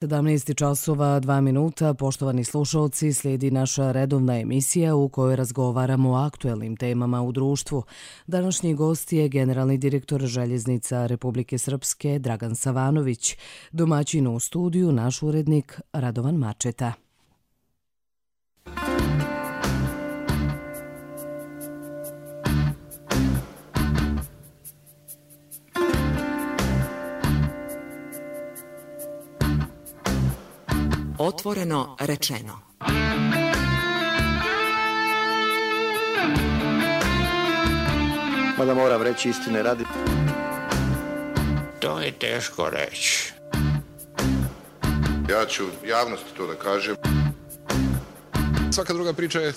17 časova 2 minuta, poštovani slušalci, slijedi naša redovna emisija u kojoj razgovaramo o aktuelnim temama u društvu. Današnji gost je generalni direktor Željeznica Republike Srpske Dragan Savanović, domaćin u studiju naš urednik Radovan Mačeta. Otvoreno rečeno. Mada moram reći istine radi. To je teško reći. Ja ću javnosti to da kažem. Svaka druga priča je...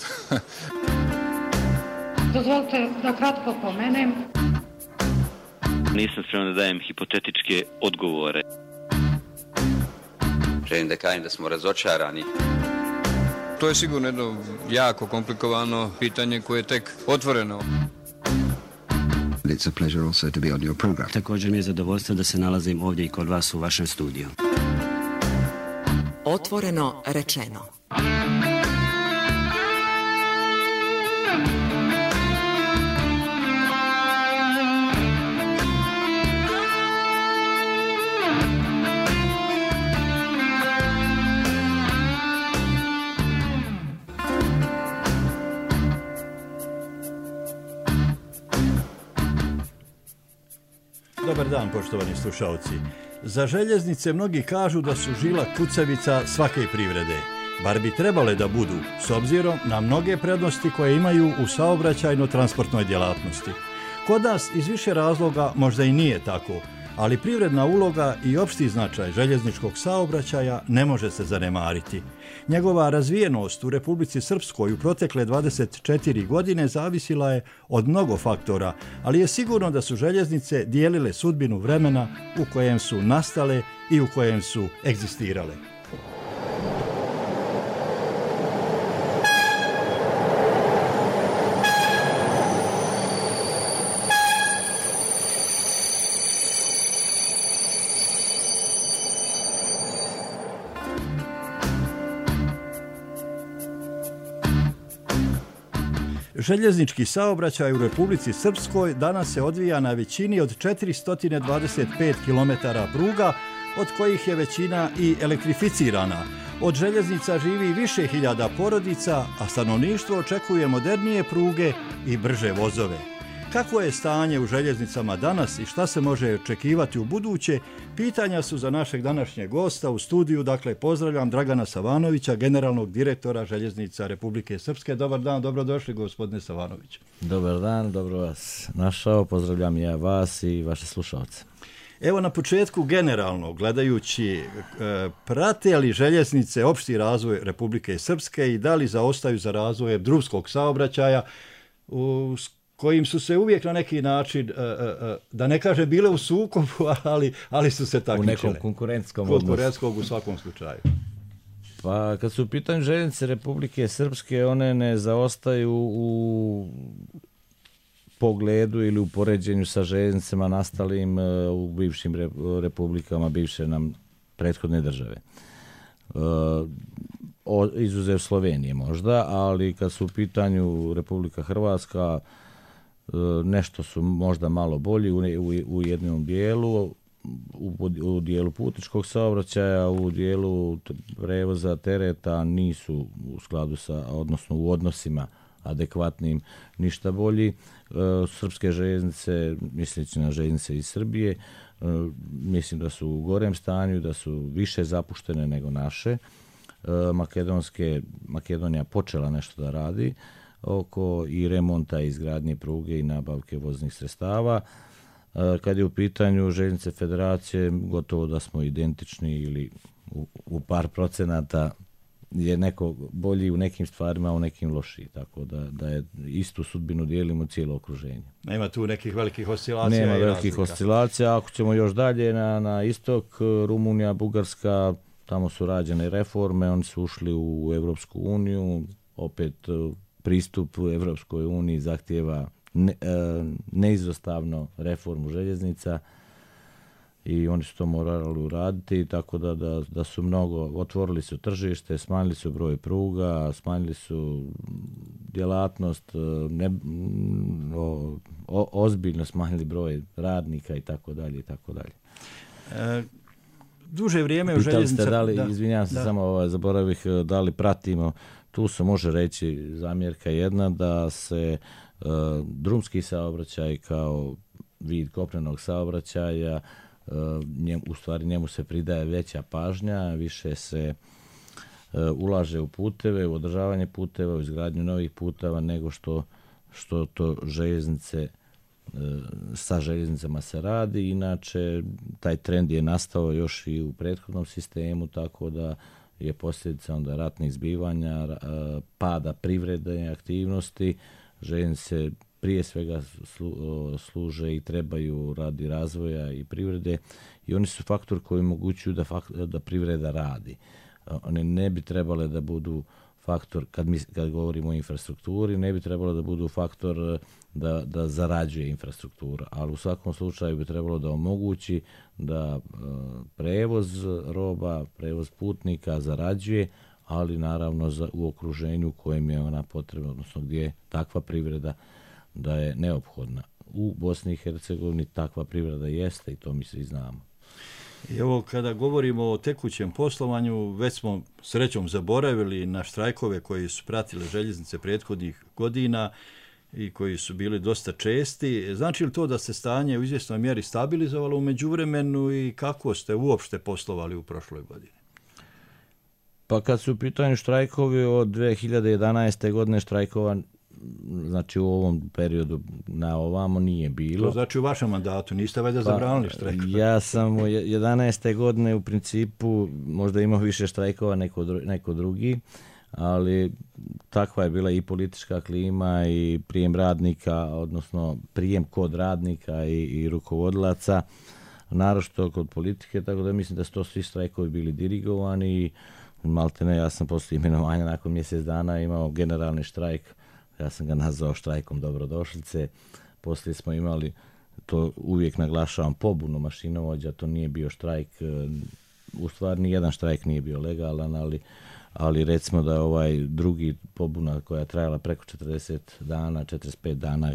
Dozvolite da kratko pomenem. Nisam spreman da dajem hipotetičke odgovore. Želim da kažem da smo razočarani. To je sigurno jedno jako komplikovano pitanje koje je tek otvoreno. It's a pleasure also to be on your program. Također mi je zadovoljstvo da se nalazim ovdje i kod vas u vašem studiju. Otvoreno rečeno. Dobar dan, poštovani slušalci. Za željeznice mnogi kažu da su žila kucavica svake privrede. Bar bi trebale da budu, s obzirom na mnoge prednosti koje imaju u saobraćajno-transportnoj djelatnosti. Kod nas iz više razloga možda i nije tako, ali privredna uloga i opšti značaj željezničkog saobraćaja ne može se zanemariti. Njegova razvijenost u Republici Srpskoj u protekle 24 godine zavisila je od mnogo faktora, ali je sigurno da su željeznice dijelile sudbinu vremena u kojem su nastale i u kojem su egzistirale. Željeznički saobraćaj u Republici Srpskoj danas se odvija na većini od 425 km pruga, od kojih je većina i elektrificirana. Od željeznica živi više hiljada porodica, a stanovništvo očekuje modernije pruge i brže vozove. Kako je stanje u željeznicama danas i šta se može očekivati u buduće, pitanja su za našeg današnjeg gosta u studiju. Dakle, pozdravljam Dragana Savanovića, generalnog direktora Željeznica Republike Srpske. Dobar dan, dobrodošli gospodine Savanović. Dobar dan, dobro vas našao, pozdravljam ja vas i vaše slušalce. Evo na početku generalno, gledajući, prate li željeznice opšti razvoj Republike Srpske i da li zaostaju za razvojem drumskog saobraćaja kojim su se uvijek na neki način, da ne kaže bile u sukobu, ali su se takmičile. U nekom konkurentskom u svakom slučaju. Pa kad su u pitanju željeznice Republike Srpske, one ne zaostaju u pogledu ili u poređenju sa željeznicama nastalim u bivšim republikama, bivše nam prethodne države. Izuzev Slovenije možda, ali kad su u pitanju Republika Hrvatska, nešto su možda malo bolji u jednom dijelu, u dijelu putničkog saobraćaja, u dijelu prevoza tereta nisu u skladu sa, odnosno u odnosima adekvatnim, ništa bolji. Srpske željeznice, misleći na željeznice iz Srbije, mislim da su u gorem stanju, da su više zapuštene nego naše. Makedonija počela nešto da radi oko i remonta, izgradnje pruge i nabavke voznih sredstava. Kad je u pitanju željeznice federacije, gotovo da smo identični ili u par procenata je neko bolji u nekim stvarima, a u nekim lošiji. Tako da je istu sudbinu dijelimo cijelo okruženje. Nema tu nekih velikih oscilacija? Nema velikih oscilacija. Ako ćemo još dalje na istok, Rumunija, Bugarska, tamo su rađene reforme, oni su ušli u Evropsku uniju, opet pristup u Evropskoj uniji zahtijeva neizostavno reformu željeznica i oni su to morali uraditi, tako da su mnogo, otvorili su tržište, smanjili su broj pruga, smanjili su djelatnost, ozbiljno smanjili broj radnika i tako dalje i tako dalje. Duže vrijeme u željeznicama... Pitali ste izvinjavam se, samo zaboravih, da li pratimo, tu se može reći zamjerka jedna da se drumski saobraćaj kao vid kopnenog saobraćaja, u stvari njemu se pridaje veća pažnja, više se ulaže u puteve, u održavanje puteva, u izgradnju novih puteva nego što to željeznice sa željeznicama se radi. Inače, taj trend je nastao još i u prethodnom sistemu, tako da je posljedica onda ratnih zbivanja, pada privrede aktivnosti. Željeznice prije svega služe i trebaju radi razvoja i privrede i oni su faktor koji omogućuju da privreda radi. One ne bi trebale da budu faktor, kad govorimo o infrastrukturi, ne bi trebalo da budu faktor da zarađuje infrastruktura, ali u svakom slučaju bi trebalo da omogući da prevoz roba, prevoz putnika zarađuje, ali naravno u okruženju u kojem je ona potrebna, odnosno gdje je takva privreda da je neophodna. U Bosni i Hercegovini takva privreda jeste i to mi svi znamo. I evo, kada govorimo o tekućem poslovanju, već smo srećom zaboravili na štrajkove koji su pratile željeznice prethodnih godina i koji su bili dosta česti. Znači li to da se stanje u izvjesnoj mjeri stabilizovalo u međuvremenu i kako ste uopšte poslovali u prošloj godini? Pa kad su u pitanju štrajkovi od 2011. godine štrajkova, znači u ovom periodu na ovamo nije bilo. To znači u vašem mandatu, niste valjda zabranili štrajkove? Ja sam u 11. godine u principu možda imao više štrajkova neko drugi, ali takva je bila i politička klima i prijem radnika, odnosno prijem kod radnika i rukovodilaca, naročito kod politike, tako da mislim da su to svi štrajkovi bili dirigovani i maltene ja sam poslije imenovanja nakon mjesec dana imao generalni štrajk. Ja sam ga nazvao štrajkom dobrodošlice. Poslije smo imali, to uvijek naglašavam, pobunu mašinovođa, to nije bio štrajk, u stvari nijedan štrajk nije bio legalan, ali recimo da ovaj drugi pobuna koja je trajala preko 40 dana, 45 dana,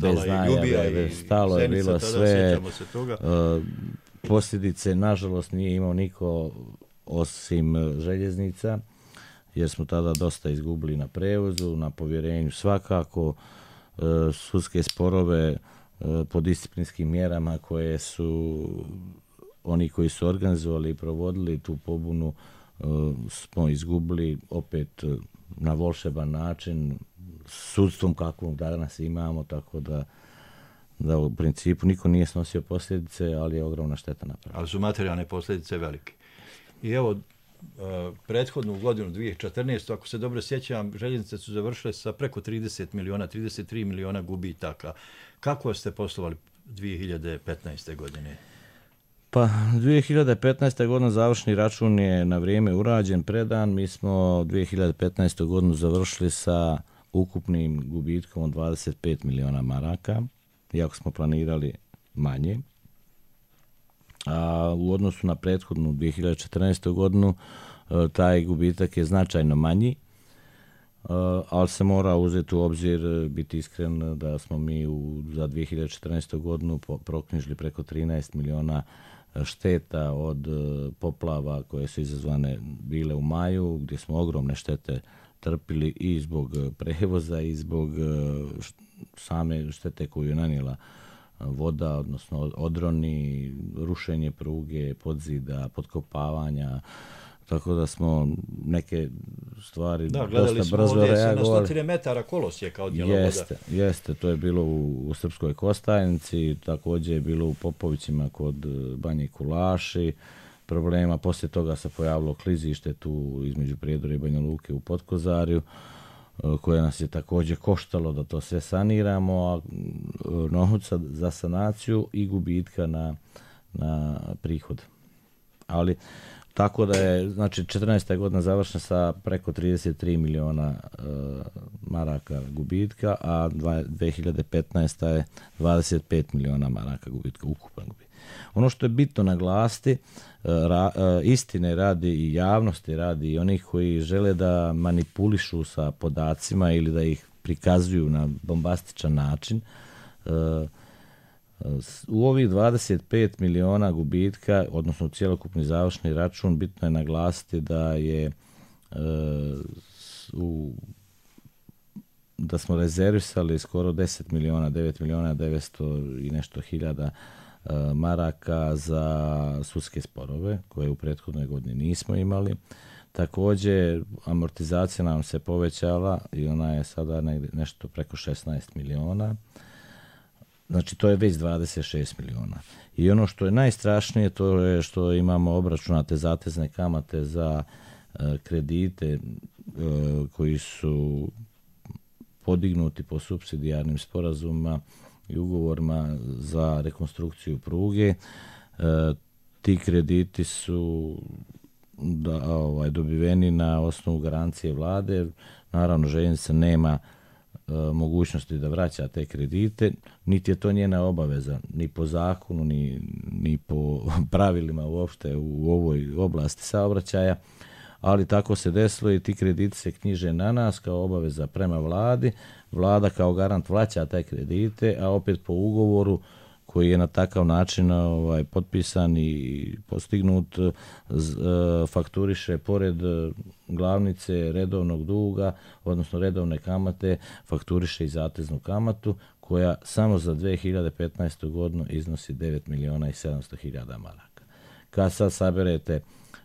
bez najave, stalo je bilo sve. Posljedice, nažalost, nije imao niko osim željeznica, jer smo tada dosta izgubili na prevozu, na povjerenju svakako, sudske sporove po disciplinskim mjerama koje su oni koji su organizovali i provodili tu pobunu smo izgubili opet na volšeban način, sudstvom kakvom danas imamo, tako da u principu niko nije snosio posljedice, ali je ogromna šteta napravljena. Ali su materijalne posljedice velike. I evo, prethodnu godinu 2014. ako se dobro sjećam, željeznice su završile sa preko 33 miliona gubitaka. Kako ste poslovali 2015. godine? Pa 2015. godina završni račun je na vrijeme urađen, predan. Mi smo 2015. godinu završili sa ukupnim gubitkom od 25 miliona maraka, iako smo planirali manje. A u odnosu na prethodnu 2014. godinu taj gubitak je značajno manji, ali se mora uzeti u obzir, biti iskren, da smo mi za 2014. godinu proknjižili preko 13 miliona šteta od poplava koje su izazvane bile u maju, gdje smo ogromne štete trpili i zbog prevoza i zbog same štete koju je nanijela voda, odnosno odroni, rušenje pruge, podzida, potkopavanja, tako da smo neke stvari dosta brzo reagovali. Da, gledali smo ovdje na 100 metara kolosijeka od djela voda. Jeste, to je bilo u Srpskoj Kostajnici, također je bilo u Popovićima kod Banje Kulaši problema, poslije toga se pojavilo klizište tu između Prijedora i Banja Luke u Potkozarju, koje nas je također koštalo da to sve saniramo, a novca za sanaciju i gubitka na prihod. Ali Tako da je, znači, 14. godina završena sa preko 33 miliona maraka gubitka, a 2015. je 25 miliona maraka gubitka, ukupan gubitak. Ono što je bitno naglasiti, istine radi i javnosti radi i onih koji žele da manipulišu sa podacima ili da ih prikazuju na bombastičan način, u ovih 25 miliona gubitka, odnosno cjelokupni završni račun, bitno je naglasiti da je da smo rezervisali skoro 10 miliona, 9 miliona 900 i nešto hiljada maraka za sudske sporove koje u prethodnoj godini nismo imali. Također amortizacija nam se povećala i ona je sada nešto preko 16 miliona. Znači to je već 26 miliona. I ono što je najstrašnije to je što imamo obračunate zatezne kamate za kredite koji su podignuti po supsidijarnim sporazumima i ugovorima za rekonstrukciju pruge. Ti krediti su dobiveni na osnovu garancije vlade. Naravno, željeznica nema mogućnosti da vraća te kredite, niti je to njena obaveza, ni po zakonu, ni po pravilima uopšte u ovoj oblasti saobraćaja, ali tako se desilo i ti krediti se knjiže na nas kao obaveza prema vladi. Vlada kao garant vraća te kredite, a opet po ugovoru koji je na takav način potpisan i postignut, fakturiše pored glavnice redovnog duga, odnosno redovne kamate, fakturiše i zateznu kamatu koja samo za 2015. godinu iznosi 9 miliona i 700 hiljada maraka. Kad sad saberete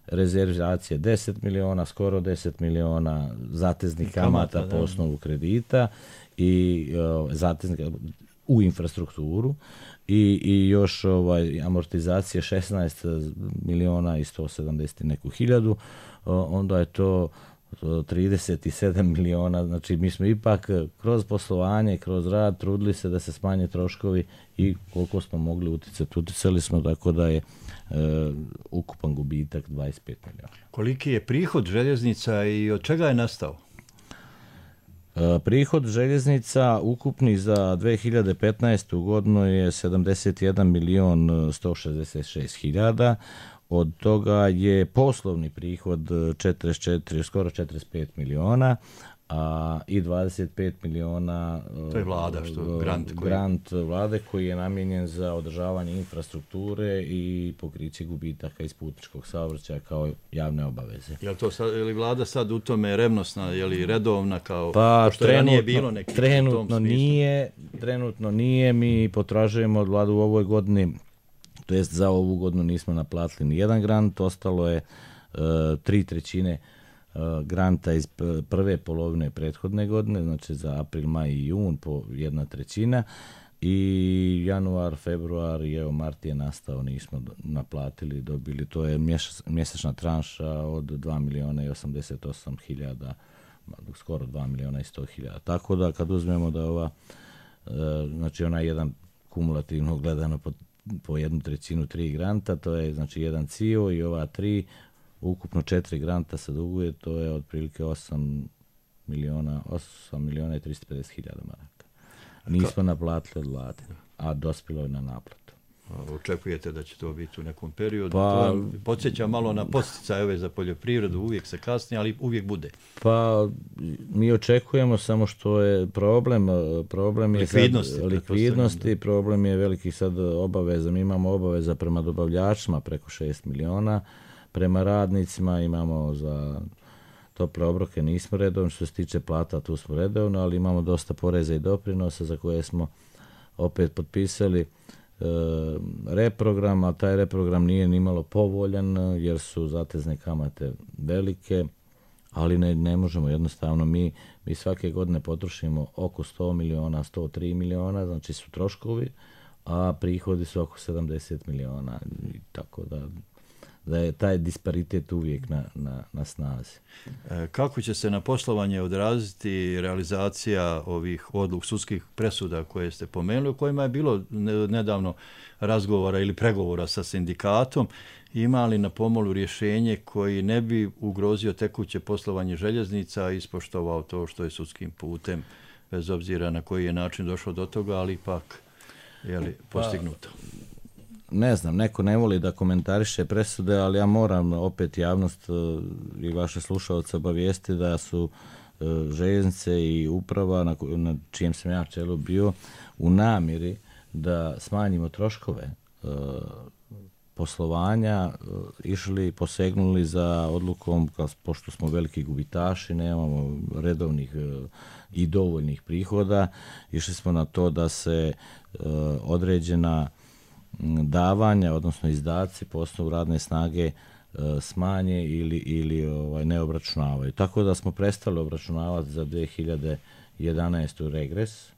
rezervacije 10 miliona, skoro 10 miliona zateznih kamata po osnovu kredita i zateznih u infrastrukturu i još amortizacije 16 miliona i 170 neku hiljadu, onda je to 37 miliona. Znači mi smo ipak kroz poslovanje, kroz rad trudili se da se smanje troškovi i koliko smo mogli uticali smo, tako da je ukupan gubitak 25 miliona. Koliki je prihod željeznica i od čega je nastao? Prihod željeznica ukupni za 2015. godinu je 71 milion 166 hiljada. Od toga je poslovni prihod 44, skoro 45 miliona, i 25 miliona to je vlada, grant vlade koji je namijenjen za održavanje infrastrukture i pokriće gubitaka iz putničkog saobraćaja kao javne obaveze. Je li vlada sad u tome revnosna, je li redovna kao što ranije bilo neki trenutno nije, mi potražujemo od vladu u ovoj godini, to jest za ovu godinu nismo naplatili ni jedan grant, ostalo je 3/3 granta iz prve polovine prethodne godine, znači za april, maj i jun po 1/3 i januar, februar i mart je nastao, nismo naplatili, dobili, to je mjesečna tranša od 2 miliona i 88 hiljada, skoro 2 miliona i 100 hiljada. Tako da kad uzmemo da ova, znači ona jedan kumulativno gledano po 1/3 3 granta, to je znači jedan CIO i ova 3, ukupno 4 granta se duguje, to je otprilike 8 miliona i 350 hiljada maraka. Nismo naplatili od vlade, a dospjelo je na naplatu. Očekujete da će to biti u nekom periodu? To podsjeća malo na podsticaje za poljoprivredu, uvijek se kasni, ali uvijek bude. Pa mi očekujemo, samo što je problem je likvidnosti, problem je velikih sad obaveza. Mi imamo obaveza prema dobavljačima preko 6 miliona, prema radnicima imamo za tople obroke nismo redovni, što se tiče plata tu smo redovno, ali imamo dosta poreza i doprinosa za koje smo opet potpisali reprogram, a taj reprogram nije nimalo povoljan jer su zatezne kamate velike, ali ne možemo jednostavno, mi svake godine potrošimo oko 100 miliona, 103 miliona, znači su troškovi, a prihodi su oko 70 miliona, tako da da je taj disparitet uvijek na snazi. Kako će se na poslovanje odraziti realizacija ovih sudskih presuda koje ste pomenuli, u kojima je bilo nedavno razgovora ili pregovora sa sindikatom, ima li na pomolu rješenje koji ne bi ugrozio tekuće poslovanje željeznica i ispoštovao to što je sudskim putem, bez obzira na koji je način došao do toga, ali ipak je postignuto? Ne znam, neko ne voli da komentariše presude, ali ja moram opet javnost i vaše slušalce obavijesti da su željeznice i uprava na čijem sam ja čelu bio u namjeri da smanjimo troškove poslovanja išli, posegnuli za odlukom, pošto smo veliki gubitaši, nemamo redovnih i dovoljnih prihoda, išli smo na to da se određena davanja, odnosno izdaci po osnovu radne snage smanje ili ne obračunavaju. Tako da smo prestali obračunavati za 2011. regres,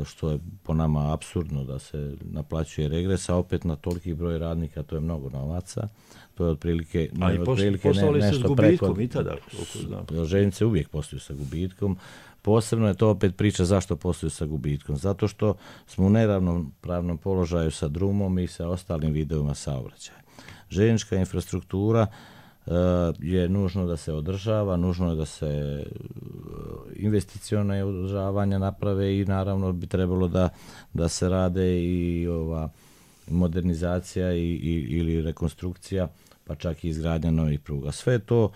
što je po nama apsurdno da se naplaćuje regres, a opet na toliki broj radnika to je mnogo novaca. To je otprilike nešto preko... I tada, željeznice uvijek posluju sa gubitkom. Posebno je to opet priča zašto posluju sa gubitkom. Zato što smo u neravnopravnom položaju sa drumom i sa ostalim vidovima saobraćaja. Željeznička infrastruktura je nužno da se održava, nužno je da se investicione održavanja naprave i naravno bi trebalo da se rade i ova modernizacija ili rekonstrukcija, pa čak i izgradnja novih pruga. Sve to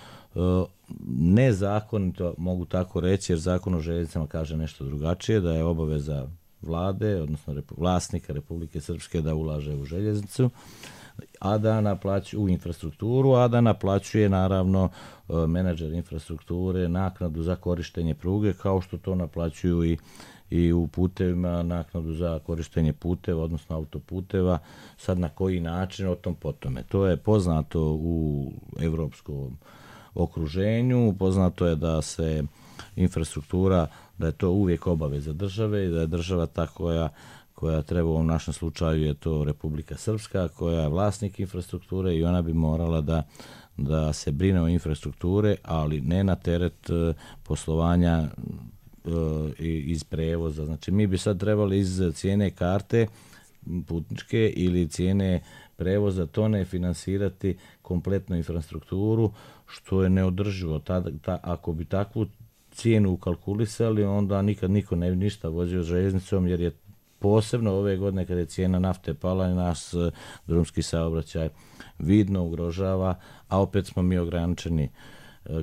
nezakonito, mogu tako reći, jer Zakon o željeznicama kaže nešto drugačije, da je obaveza vlade, odnosno vlasnika Republike Srpske da ulaže u željeznicu, a da naplaćuje u infrastrukturu, a da naplaćuje naravno menadžer infrastrukture naknadu za korištenje pruge, kao što to naplaćuju i u putevima naknadu za korištenje puteva, odnosno autoputeva. Sad na koji način, o tom potome. To je poznato u evropskom okruženju, poznato je da se infrastruktura, da je to uvijek obaveza države i da je država ta koja treba, u ovom našem slučaju je to Republika Srpska, koja je vlasnik infrastrukture i ona bi morala da se brine o infrastrukture, ali ne na teret poslovanja iz prevoza. Znači mi bi sad trebali iz cijene karte putničke ili cijene prevoza tone finansirati kompletnu infrastrukturu, što je neodrživo. Ako bi takvu cijenu ukalkulisali, onda nikad niko ne bi ništa vozio željeznicom, jer je posebno ove godine kada je cijena nafte pala i naš drumski saobraćaj vidno ugrožava, a opet smo mi ograničeni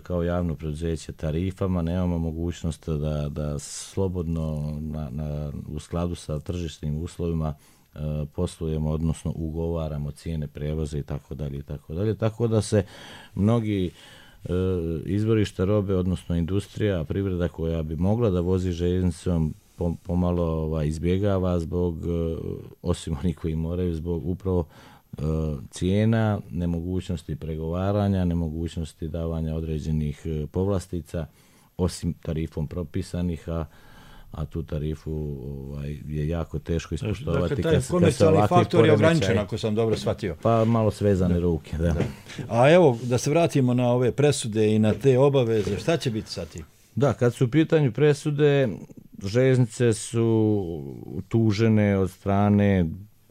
kao javno preduzeće tarifama, nemamo mogućnost da slobodno u skladu sa tržišnim uslovima poslujemo, odnosno ugovaramo cijene prevoza i tako dalje. Tako da se mnogi izvorišta robe, odnosno industrija, privreda koja bi mogla da vozi željeznicom pomalo izbjegava zbog, osim onih koji moraju, zbog upravo cijena, nemogućnosti pregovaranja, nemogućnosti davanja određenih povlastica, osim tarifom propisanih, a tu tarifu je jako teško ispoštovati. Dakle, taj komercijalni faktor je ograničen, ako sam dobro shvatio. Pa malo svezane ruke, da. A evo, da se vratimo na ove presude i na te obaveze, šta će biti sa tim? Da, kad su u pitanju presude, željeznice su tužene od strane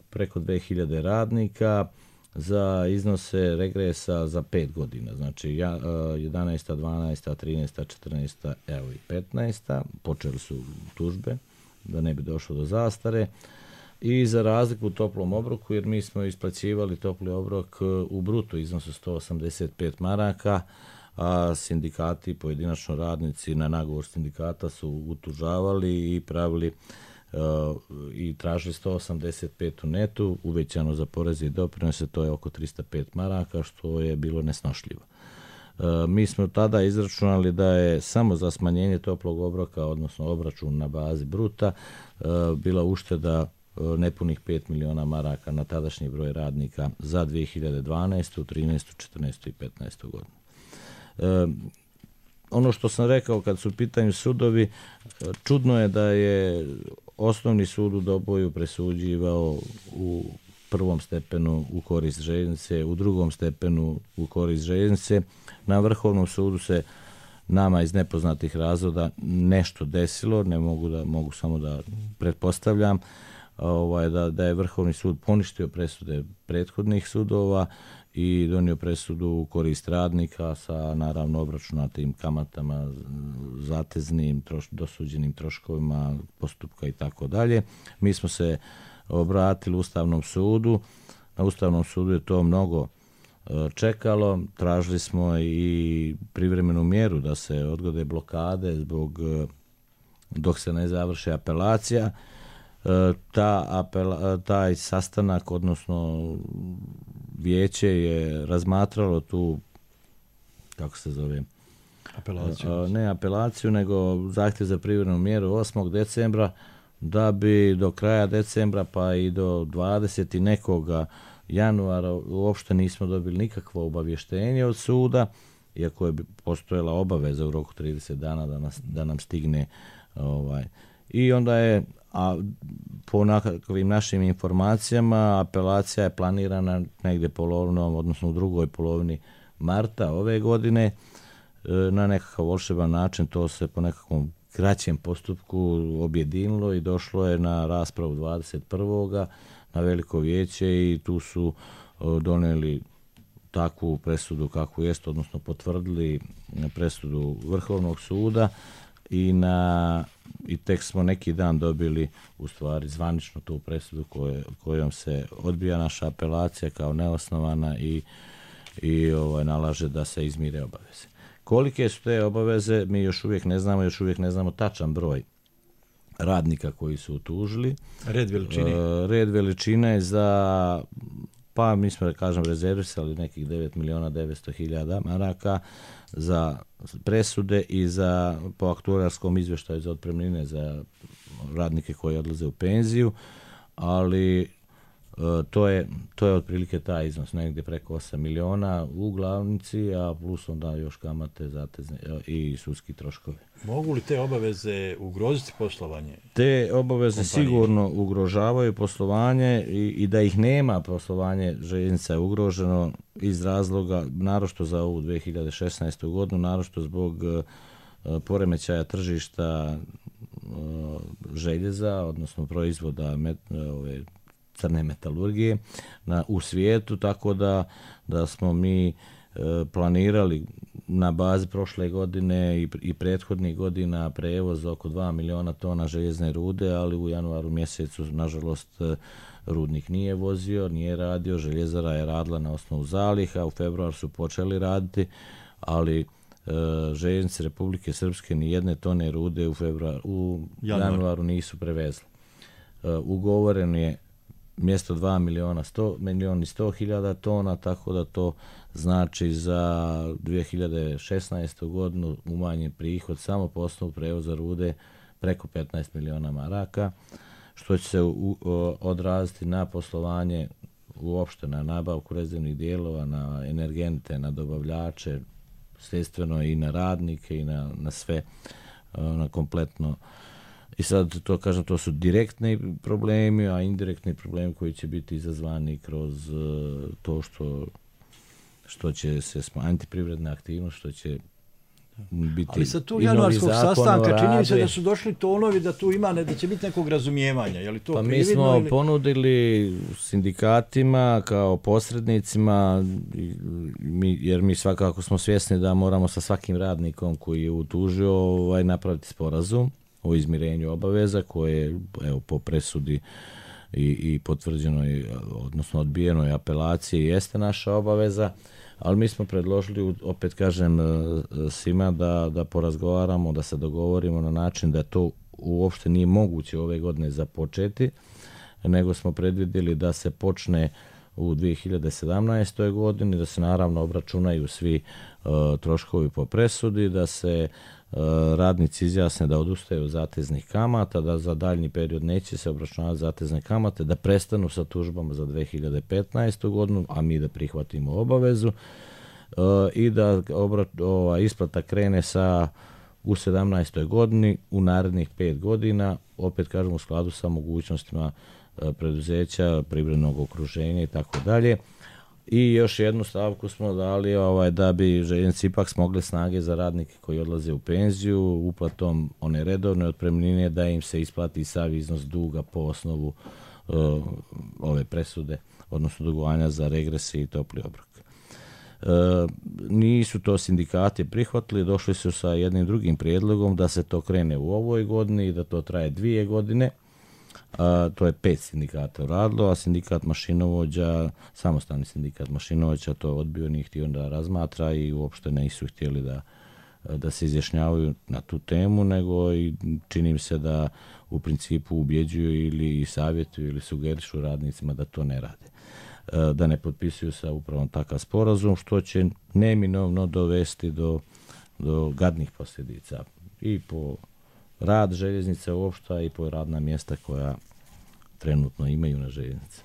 preko 2000 radnika za iznose regresa za 5 godina. Znači 11., 12., 13., 14., evo i 15. Počeli su tužbe da ne bi došlo do zastare. I za razliku u toplom obroku, jer mi smo isplaćivali topli obrok u bruto iznosu 185 maraka, a sindikati, pojedinačno radnici na nagovor sindikata su utužavali i pravili i tražili 185 u netu, uvećano za poreze i doprinose, to je oko 305 maraka, što je bilo nesnošljivo. Mi smo tada izračunali da je samo za smanjenje toplog obroka, odnosno obračun na bazi bruta, bila ušteda nepunih 5 miliona maraka na tadašnji broj radnika za 2012., 13., 14. i 15. godinu. Ono što sam rekao kad su u pitanju sudovi, čudno je da je Osnovni sud u Doboju presuđivao u prvom stepenu u korist željeznice, u drugom stepenu u korist željeznice. Na Vrhovnom sudu se nama iz nepoznatih razloga nešto desilo, mogu samo da pretpostavljam, da je Vrhovni sud poništio presude prethodnih sudova i donio presudu u korist radnika sa naravno obračunatim kamatama, zateznim, dosuđenim troškovima postupka i tako dalje. Mi smo se obratili Ustavnom sudu. Na Ustavnom sudu je to mnogo čekalo. Tražili smo i privremenu mjeru da se odgode blokade dok se ne završi apelacija. Taj sastanak, odnosno vijeće je razmatralo tu, kako se zove, apelaciju. Ne apelaciju, nego zahtjev za privremenu mjeru 8. decembra, da bi do kraja decembra pa i do 20. nekoga januara uopšte nismo dobili nikakvo obavještenje od suda, iako je postojala obaveza u roku 30 dana da nam stigne i onda je, a po nekakvim našim informacijama, apelacija je planirana negdje polovinom, odnosno u drugoj polovini marta ove godine. Na nekakav volšeban način to se po nekakvom kraćem postupku objedinilo i došlo je na raspravu 21. na veliko vijeće i tu su donijeli takvu presudu kakvu jest, odnosno potvrdili presudu Vrhovnog suda i tek smo neki dan dobili u stvari zvanično tu presudu kojom se odbija naša apelacija kao neosnovana i nalaže da se izmire obaveze. Kolike su te obaveze, mi još uvijek ne znamo tačan broj radnika koji su utužili. Red veličine je za, pa mi smo da kažem rezervisali nekih 9.900.000 maraka za presude i za po aktuarskom izvještaju za otpremnine za radnike koji odlaze u penziju, ali to je otprilike taj iznos, negdje preko 8 miliona u glavnici, a plus onda još kamate, zatezne i sudski troškovi. Mogu li te obaveze ugroziti poslovanje? Te obaveze sigurno ugrožavaju poslovanje i da ih nema, poslovanje željeznica je ugroženo iz razloga, naročito za ovu 2016. godinu, naročito zbog poremećaja tržišta željeza, odnosno proizvoda crne metalurgije u svijetu, tako da smo mi planirali na bazi prošle godine i prethodnih godina prevoz oko 2 miliona tona željezne rude, ali u januaru mjesecu nažalost rudnik nije vozio, nije radio, željezara je radila na osnovu zaliha, u februaru su počeli raditi, ali željeznice Republike Srpske ni jedne tone rude u januaru nisu prevezli. Ugovoren je mjesto 2 miliona 100.000 tona, tako da to znači za 2016. godinu umanjen prihod samo po osnovu prevoza rude preko 15 miliona maraka, što će se odraziti na poslovanje uopšte, na nabavku rezervnih dijelova, na energente, na dobavljače, sredstveno i na radnike i na sve, na kompletno. I sad to kažem, to su direktni problemi, a indirektni problemi koji će biti izazvani kroz to što će se smanjiti privredna aktivnost, što će biti. Ali sa tu januarskog sastanka čini se da su došli tonovi da tu ima, da će biti nekog razumijevanja. Je li to mi smo ponudili sindikatima kao posrednicima, jer mi svakako smo svjesni da moramo sa svakim radnikom koji je utužio napraviti sporazum o izmirenju obaveza koje po presudi i potvrđenoj, odnosno odbijenoj apelaciji jeste naša obaveza, ali mi smo predložili, opet kažem svima, da porazgovaramo, da se dogovorimo na način da to uopšte nije moguće ove godine započeti, nego smo predvidjeli da se počne u 2017. godini, da se naravno obračunaju svi troškovi po presudi, da se radnici izjasne da odustaju od zateznih kamata, da za daljnji period neće se obračunavati zatezne kamate, da prestanu sa tužbama za 2015. godinu, a mi da prihvatimo obavezu i da isplata krene u 17. godini u narednih 5 godina, opet kažem u skladu sa mogućnostima preduzeća, privrednog okruženja i tako dalje. I još jednu stavku smo dali da bi željeznice ipak smogle snage za radnike koji odlaze u penziju, uplatom one redovne otpremnine da im se isplati sav iznos duga po osnovu ove presude, odnosno dugovanja za regrese i topli obrok. Nisu to sindikati prihvatili, došli su sa jednim drugim prijedlogom da se to krene u ovoj godini i da to traje 2 godine. To je 5 sindikata uradilo, a sindikat mašinovođa, samostalni sindikat mašinovođa to odbio, nije htio da razmatra i uopšte nisu htjeli da se izjašnjavaju na tu temu, nego i čini mi se da u principu ubjeđuju ili savjetuju ili sugerišu radnicima da to ne rade, da ne potpisuju sa upravom takav sporazum, što će neminovno dovesti do gadnih posljedica i po rad željeznice uopšte i po radna mjesta koja trenutno imaju na željeznici.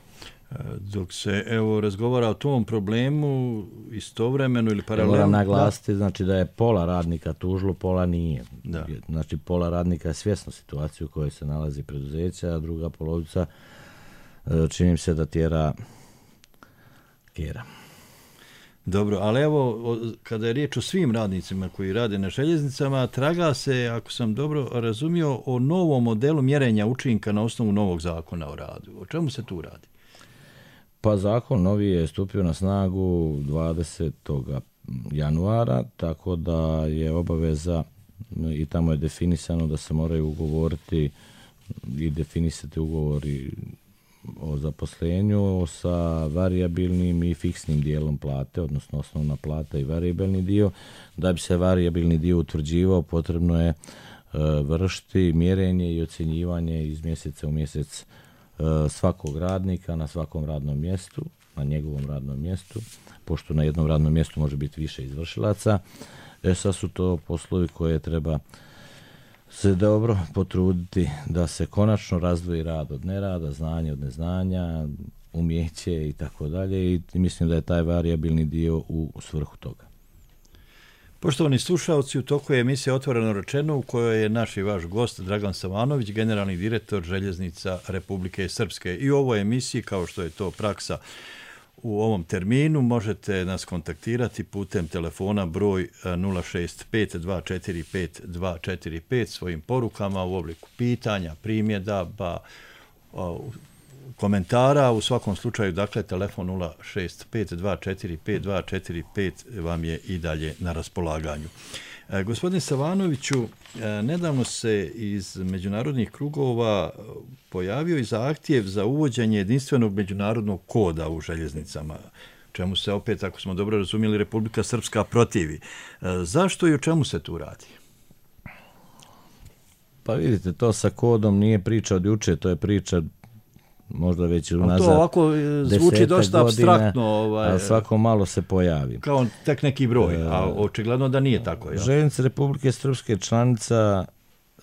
Dok se razgovara o tom problemu istovremeno ili paralelno... Moram naglasiti znači da je pola radnika tužilo, pola nije. Da. Znači pola radnika je svjesno situaciju u kojoj se nalazi preduzeća, a druga polovica čini se da tjera kjera. Dobro, ali kada je riječ o svim radnicima koji rade na željeznicama, traga se, ako sam dobro razumio, o novom modelu mjerenja učinka na osnovu novog zakona o radu. O čemu se tu radi? Pa zakon novi je stupio na snagu 20. januara, tako da je obaveza i tamo je definisano da se moraju ugovoriti i definisati ugovori o zaposlenju sa varijabilnim i fiksnim dijelom plate, odnosno osnovna plata i varijabilni dio. Da bi se varijabilni dio utvrđivao, potrebno je vršiti mjerenje i ocjenjivanje iz mjeseca u mjesec svakog radnika na svakom radnom mjestu, na njegovom radnom mjestu, pošto na jednom radnom mjestu može biti više izvršilaca. Sad su to poslovi koje treba se dobro potruditi da se konačno razdvoji rad od nerada, znanje od neznanja, umjeće i tako dalje, i mislim da je taj varijabilni dio u svrhu toga. Poštovani slušalci, u toku je emisija Otvoreno rečeno, u kojoj je naš i vaš gost Dragan Savanović, generalni direktor Željeznica Republike Srpske. I u ovoj emisiji, kao što je to praksa u ovom terminu, možete nas kontaktirati putem telefona broj 065-245-245 svojim porukama u obliku pitanja, primjedaba, komentara. U svakom slučaju, dakle, telefon 065-245-245 vam je i dalje na raspolaganju. Gospodine Savanoviću, nedavno se iz međunarodnih krugova pojavio i zahtjev za uvođenje jedinstvenog međunarodnog koda u željeznicama, čemu se opet, ako smo dobro razumjeli, Republika Srpska protivi. Zašto i o čemu se tu radi? Pa vidite, to sa kodom nije priča od juče, to je priča možda već unazad 10 godina. To ovako zvuči dosta apstraktno. A svako malo se pojavi. Kao tek neki broj, a očigledno da nije tako. Ja? Željeznice Republike Srpske članica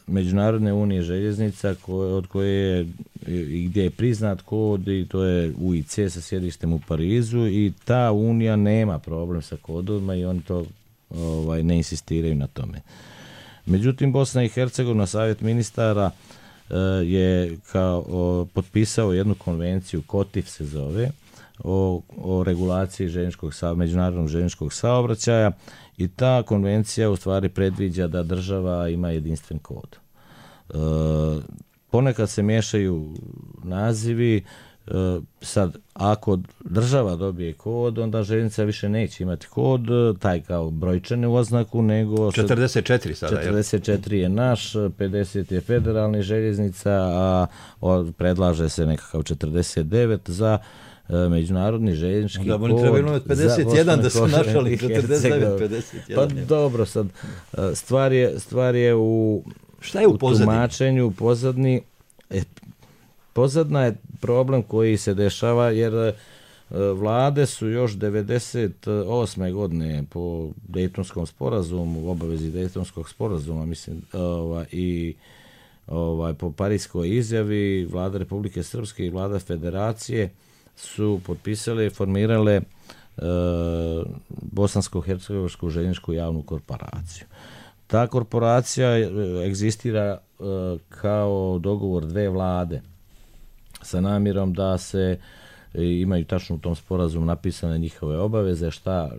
Međunarodne unije željeznica od koje je i gdje je priznat kod, i to je UIC sa sjedištem u Parizu, i ta unija nema problem sa kodovima i oni to ne insistiraju na tome. Međutim, Bosna i Hercegovina, Savjet ministara je potpisao jednu konvenciju, KOTIF se zove, o regulaciji međunarodnog željezničkog saobraćaja, i ta konvencija u stvari predviđa da država ima jedinstven kod. Ponekad se miješaju nazivi. Sad, ako država dobije kod, onda željeznica više neće imati kod, taj kao brojčanu oznaku, nego 44 sada. 44 je naš, 50 je federalni željeznica, a predlaže se nekakav 49 za međunarodni željeznički kod. Da, oni trebaju imati 51 da su našali 49, 51. Pa dobro, sad, stvar je u tumačenju, pozadni. Pozadna je problem koji se dešava, jer vlade su još 98. godine po Dejtonskom sporazumu, u obavezi Dejtonskog sporazuma, mislim, i po Parijskoj izjavi, vlada Republike Srpske i vlada Federacije su potpisale i formirale Bosansko-hercegovačku željezničku javnu korporaciju. Ta korporacija egzistira kao dogovor dve vlade. sa namjerom da se imaju tačno u tom sporazumu napisane njihove obaveze, šta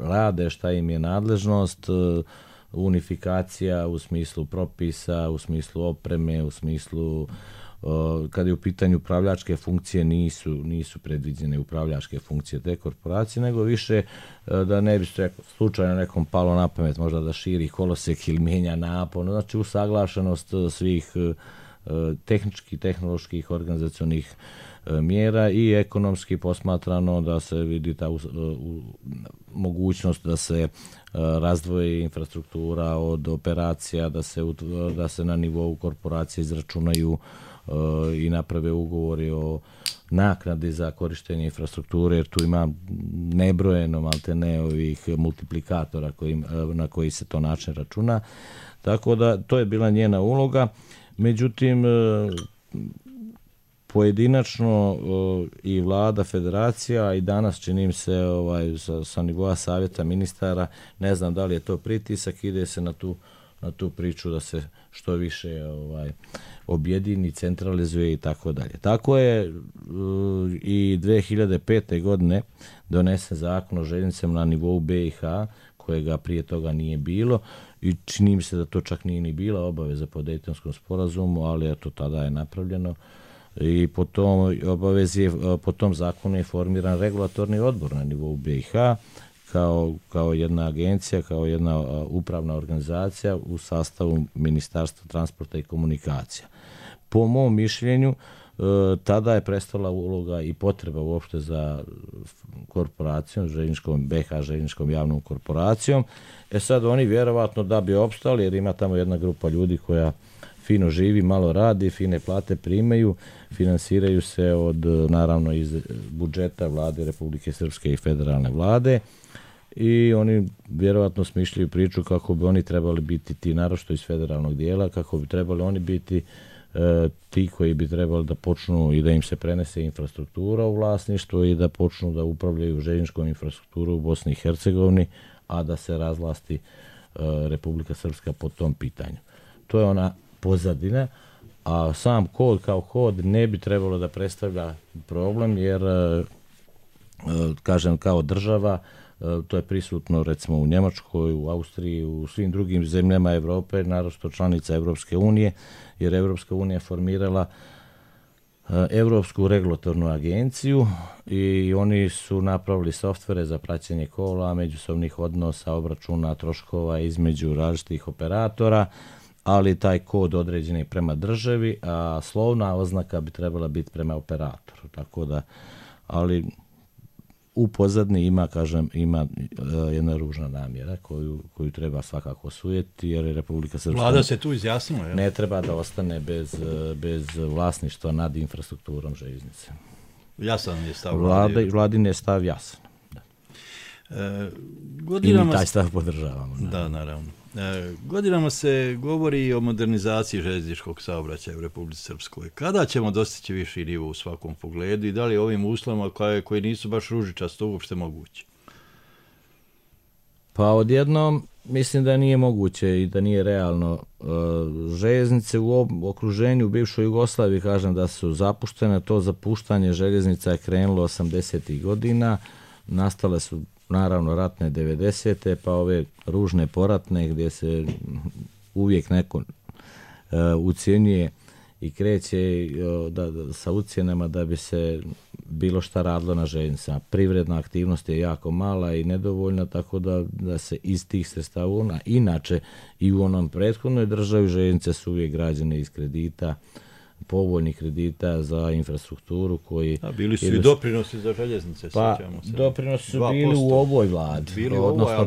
rade, šta im je nadležnost, unifikacija u smislu propisa, u smislu opreme, u smislu kada je u pitanju upravljačke funkcije nisu predviđene upravljačke funkcije te korporacije, nego više da ne bi se slučajno nekom palo na pamet možda da širi kolosek ili mijenja napon, znači usaglašenost svih tehničkih, tehnoloških, organizacionih mjera i ekonomski posmatrano da se vidi ta mogućnost da se razdvoji infrastruktura od operacija, da se na nivou korporacije izračunaju i naprave ugovori o naknadi za korištenje infrastrukture, jer tu ima nebrojeno maltene ovih multiplikatora na koji se to način računa. Tako da to je bila njena uloga. Međutim, pojedinačno i vlada, federacija i danas činim se sa nivoa savjeta ministara, ne znam da li je to pritisak, ide se na tu priču da se što više objedini, centralizuje i tako dalje. Tako je i 2005. godine donesen zakon o željeznicama na nivou BiH, kojega prije toga nije bilo i čini mi se da to čak nije ni bila obaveza po Dejtonskom sporazumu, ali eto tada je napravljeno i po tom zakonu je formiran regulatorni odbor na nivou BiH kao jedna agencija, kao jedna upravna organizacija u sastavu Ministarstva transporta i komunikacija. Po mom mišljenju, tada je prestala uloga i potreba uopšte za korporacijom, BiH željezničkom javnom korporacijom. Sad oni vjerovatno da bi opstali, jer ima tamo jedna grupa ljudi koja fino živi, malo radi, fine plate primaju, finansiraju se naravno iz budžeta vlade Republike Srpske i federalne vlade i oni vjerovatno smišljaju priču kako bi oni trebali biti ti, naročito iz federalnog dijela, kako bi trebali oni biti ti koji bi trebali da počnu i da im se prenese infrastruktura u vlasništvo i da počnu da upravljaju željezničkom infrastrukturu u Bosni i Hercegovini, a da se razvlasti Republika Srpska po tom pitanju. To je ona pozadina, a sam kod kao kod ne bi trebalo da predstavlja problem, jer kažem kao država, to je prisutno recimo u Njemačkoj, u Austriji, u svim drugim zemljama Europe, naročito članica Evropske unije, jer Evropska unija formirala Europsku regulatornu agenciju i oni su napravili softvere za praćenje kola, međusobnih odnosa, obračuna troškova između različitih operatora, ali taj kod određen je prema državi, a slovna oznaka bi trebala biti prema operatoru. Tako da, ali u pozadini ima jedna ružna namjera koju treba svakako osujeti, jer je Republika Srpska Vlada se tu izjasnila, ne treba da ostane bez vlasništva nad infrastrukturom željeznice. Jasan je stav Vladin je stav jasan. Da. I mi taj stav podržavamo. Da, naravno. Godinama se govori o modernizaciji željezničkog saobraćaja u Republici Srpskoj. Kada ćemo dostići viši nivo u svakom pogledu i da li ovim uslovima koji nisu baš ružičasto uopšte moguće? Pa odjednom mislim da nije moguće i da nije realno. Željeznice u okruženju u bivšoj Jugoslaviji, kažem da su zapuštene, to zapuštanje željeznica je krenulo 80. godina, nastale su naravno ratne 90. pa ove ružne poratne gdje se uvijek neko ucjenjuje i kreće sa ucjenama da bi se bilo šta radilo na željeznicama. Privredna aktivnost je jako mala i nedovoljna, tako da se iz tih sredstava, inače i u onom prethodnoj državi željeznice su uvijek građene iz kredita, povoljnih kredita za infrastrukturu koji... A bili su i doprinosi za željeznice, pa, sjećamo se. Doprinosi su bili u ovoj vladi, odnosno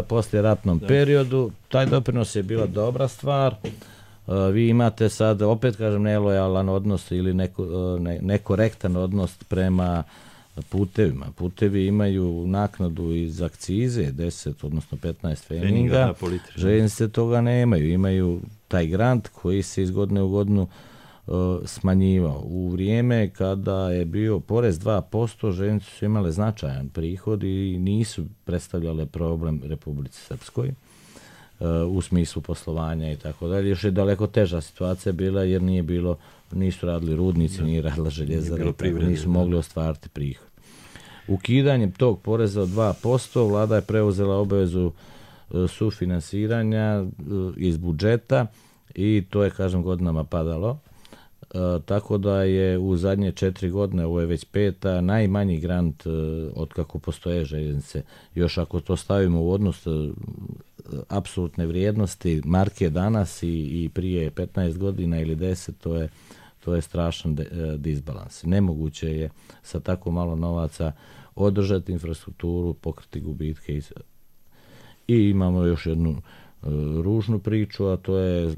poslije ratnom periodu. Taj doprinos je bila dobra stvar. Vi imate sad, opet kažem, nelojalan odnos ili nekorektan odnos prema putevima. Putevi imaju naknadu iz akcize, 10, odnosno 15 feninga. Željeznice toga nemaju. Imaju taj grant koji se iz godine u godinu smanjivao. U vrijeme kada je bio porez 2%, željeznice su imale značajan prihod i nisu predstavljale problem Republici Srpskoj. u smislu poslovanja i tako dalje. Još je daleko teža situacija bila jer nisu radili rudnici, nije radila željezara, nisu mogli ostvariti prihod. Ukidanjem tog poreza od 2% vlada je preuzela obavezu sufinansiranja iz budžeta i to je, kažem, godinama padalo. Tako da je u zadnje 4 godine, ovo je već 5. najmanji grant od kako postoje željeznice. Još ako to stavimo u odnos apsolutne vrijednosti marke danas i prije 15 godina ili 10, to je strašan disbalans. Nemoguće je sa tako malo novaca održati infrastrukturu, pokriti gubitke i imamo još jednu ružnu priču, a to je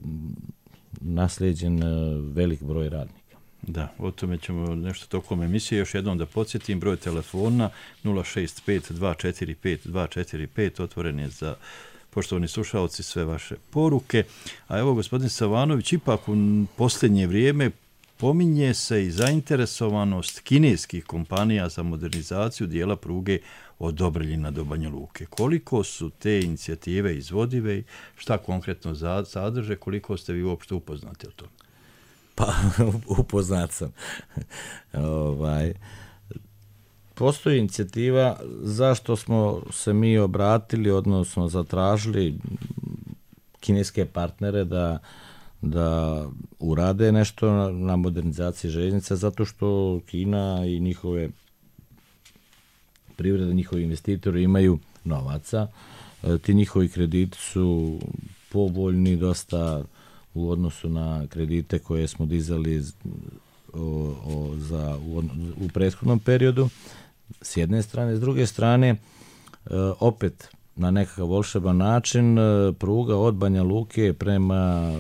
naslijeđen velik broj radnika. Da, o tome ćemo nešto tokom emisije. Još jednom da podsjetim, broj telefona 065-245-245, otvoren je za, poštovani slušalci, sve vaše poruke. A evo, gospodin Savanović, ipak u posljednje vrijeme pominje se i zainteresovanost kineskih kompanija za modernizaciju dijela pruge od Dobreljina do Banja Luke. Koliko su te inicijative izvodive i šta konkretno sadrže, koliko ste vi uopšte upoznati o tome? Pa, upoznat sam. Postoji inicijativa zašto smo se mi obratili, odnosno zatražili kineske partnere da urade nešto na modernizaciji željeznica, zato što Kina i njihove privrede, njihovi investitori imaju novaca. Ti njihovi krediti su povoljni dosta u odnosu na kredite koje smo dizali u prethodnom periodu, s jedne strane. S druge strane, opet na nekakav volšeban način, pruga od Banja Luke prema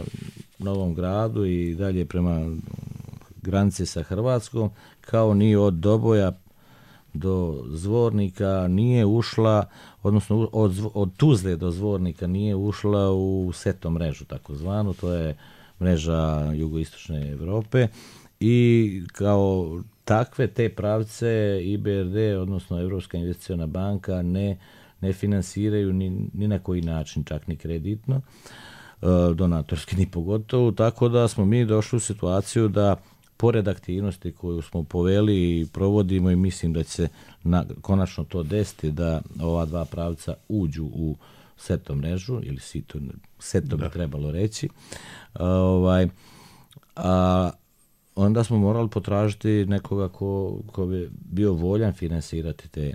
Novom Gradu i dalje prema granici sa Hrvatskom, kao ni od Doboja do Zvornika nije ušla, odnosno od Tuzle do Zvornika nije ušla u SETO mrežu, takozvanu, to je mreža jugoistočne Europe, i kao takve te pravce IBRD, odnosno Europska investiciona banka, ne finansiraju ni na koji način, čak ni kreditno, donatorski ni pogotovo, tako da smo mi došli u situaciju da pored aktivnosti koju smo poveli i provodimo, i mislim da će se konačno to desiti, da ova dva pravca uđu u SETO mrežu, ili SETO bi trebalo reći, onda smo morali potražiti nekoga ko bi bio voljan finansirati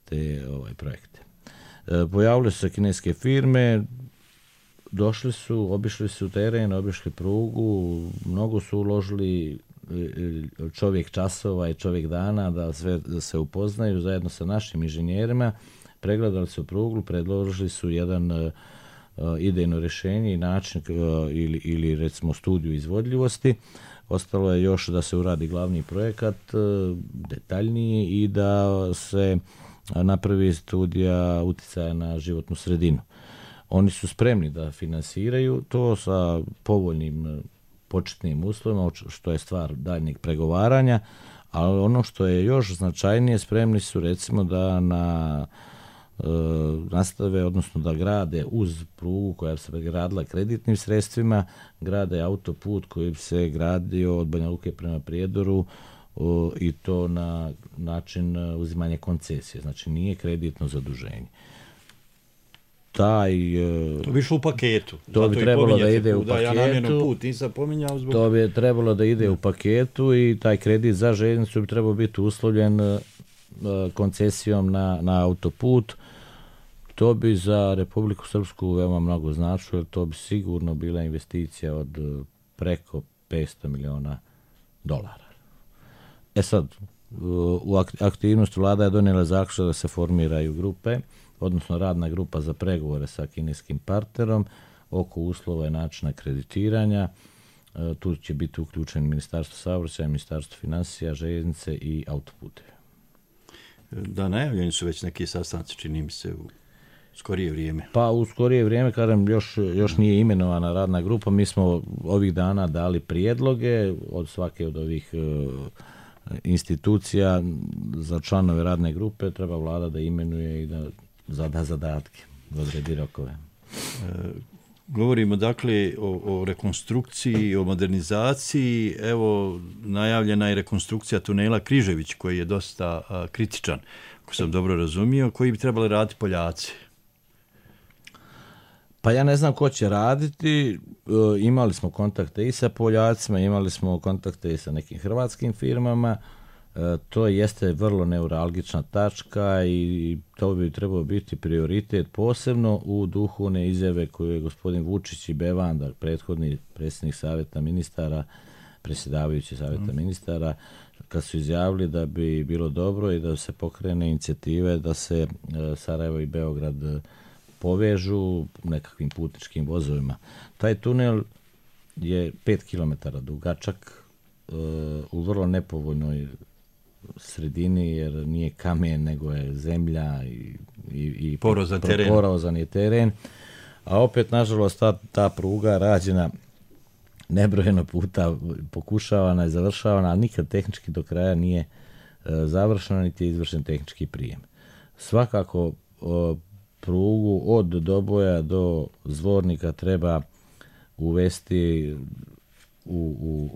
te projekte. Pojavile su se kineske firme, došli su, obišli su teren, obišli prugu, mnogo su uložili čovjek časova i čovjek dana da se upoznaju zajedno sa našim inženjerima, pregledali su prugu, predložili su jedan idejno rješenje i način ili recimo studiju izvodljivosti. Ostalo je još da se uradi glavni projekat, detaljniji, i da se napravi studija utjecaja na životnu sredinu. Oni su spremni da finansiraju to sa povoljnim početnim uslovima, što je stvar daljnjeg pregovaranja, ali ono što je još značajnije, spremni su recimo da nastave, odnosno da grade uz prugu koja se gradila kreditnim sredstvima, grade autoput koji bi se gradio od Banja Luke prema Prijedoru, i to na način uzimanja koncesije, znači nije kreditno zaduženje. To bi išlo u paketu. To bi trebalo da ide u paketu. Ja namjerno put nisam pominjao zbog... To bi trebalo da ide u paketu i taj kredit za željeznicu bi trebao biti uslovljen koncesijom na autoput. To bi za Republiku Srpsku veoma mnogo značilo, jer to bi sigurno bila investicija od preko $500 miliona. Sad, u aktivnosti vlada je donijela zaključak da se formiraju grupe, odnosno radna grupa za pregovore sa kineskim partnerom oko uslova i načina kreditiranja. Tu će biti uključeni Ministarstvo saobraćaja, Ministarstvo financija, željeznice i autoputeve. Da, najavljeni su već neki sastanci, čini mi se, u skorije vrijeme. Pa u skorije vrijeme, kažem, još nije imenovana radna grupa. Mi smo ovih dana dali prijedloge od svake od ovih institucija za članove radne grupe. Treba vlada da imenuje i da zada zadatke, da odredi rokove. Govorimo dakle o rekonstrukciji, o modernizaciji. Evo, najavljena je rekonstrukcija tunela Križević, koji je dosta kritičan, ako sam dobro razumio, koji bi trebali raditi Poljaci. Pa ja ne znam ko će raditi. Imali smo kontakte i sa Poljacima, imali smo kontakte i sa nekim hrvatskim firmama. To jeste vrlo neuralgična tačka i to bi trebao biti prioritet, posebno u duhu one izjave koju je gospodin Vučić i Bevanda, prethodni predsjednik savjeta ministara, predsjedavajući savjeta ministara, kad su izjavili da bi bilo dobro i da se pokrene inicijative da se Sarajevo i Beograd povežu nekakvim putničkim vozovima. Taj tunel je 5 km dugačak, u vrlo nepovoljnoj sredini, jer nije kamen, nego je zemlja i porozan je teren. A opet, nažalost, ta pruga rađena nebrojeno puta, pokušavana i završavana, ali nikad tehnički do kraja nije završena, niti je izvršen tehnički prijem. Svakako, prugu od Doboja do Zvornika treba uvesti u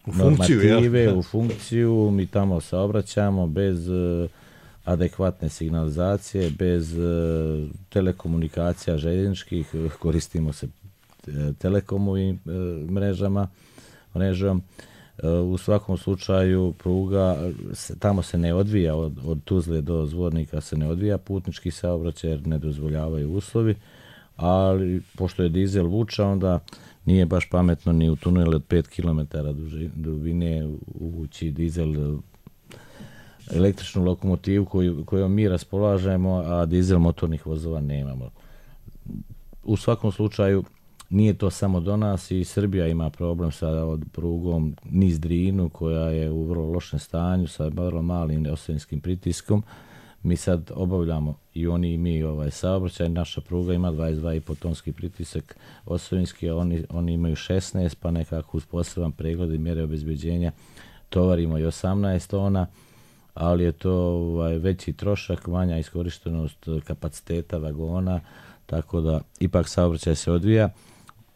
normative, u funkciju. Mi tamo saobraćamo bez adekvatne signalizacije, bez telekomunikacija željezničkih, koristimo se telekomovim mrežom. U svakom slučaju pruga tamo se ne odvija, od Tuzle do Zvornika se ne odvija putnički saobraćaj jer ne dozvoljavaju uslovi, ali pošto je dizel vuča, onda nije baš pametno ni u tunelu od 5 km dubine uvući dizel, električnu lokomotivu kojom mi raspolažemo, a dizel motornih vozova nemamo. U svakom slučaju nije to samo do nas, i Srbija ima problem sa prugom niz Drinu, koja je u vrlo lošem stanju sa vrlo malim osovenskim pritiskom. Mi sad obavljamo i oni i mi saobraćaj. Naša pruga ima 22,5 tonski pritisak osovinski, a oni imaju 16, pa nekako uz poseban pregled i mjere obezbeđenja tovarimo i 18 tona, ali je to veći trošak, manja iskorištenost kapaciteta vagona, tako da ipak saobraćaj se odvija.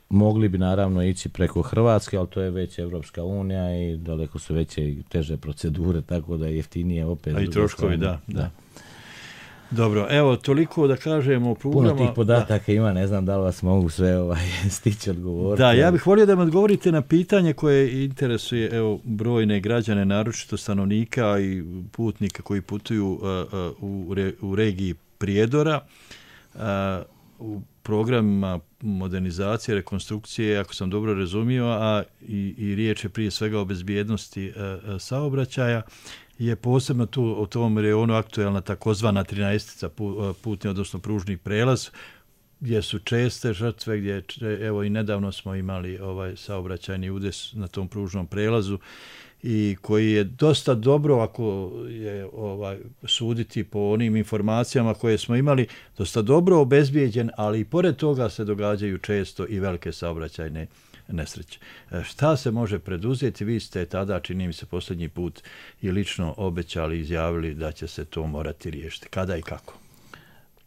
Mogli bi naravno ići preko Hrvatske, ali to je već Evropska unija i daleko su veće i teže procedure, tako da je jeftinije opet. A i troškovi, da. Dobro, evo, toliko da kažemo o prugama. Puno tih podataka ima, ne znam da li vas mogu sve stići odgovoriti. Da, ja bih volio da me odgovorite na pitanje koje interesuje brojne građane, naročito stanovnika i putnika koji putuju u regiji Prijedora. U programima modernizacije, rekonstrukcije, ako sam dobro razumio, a i riječ je prije svega o bezbjednosti saobraćaja, je posebno tu u tom reonu aktuelna takozvana 13-tica putni, odnosno pružni prelaz, gdje su česte žrtve, gdje evo i nedavno smo imali saobraćajni udes na tom pružnom prelazu, i koji je dosta dobro, ako je suditi po onim informacijama koje smo imali, dosta dobro obezbijeđen, ali i pored toga se događaju često i velike saobraćajne nesreće. Šta se može preduzeti? Vi ste tada, čini mi se, posljednji put i lično obećali i izjavili da će se to morati riješiti. Kada i kako?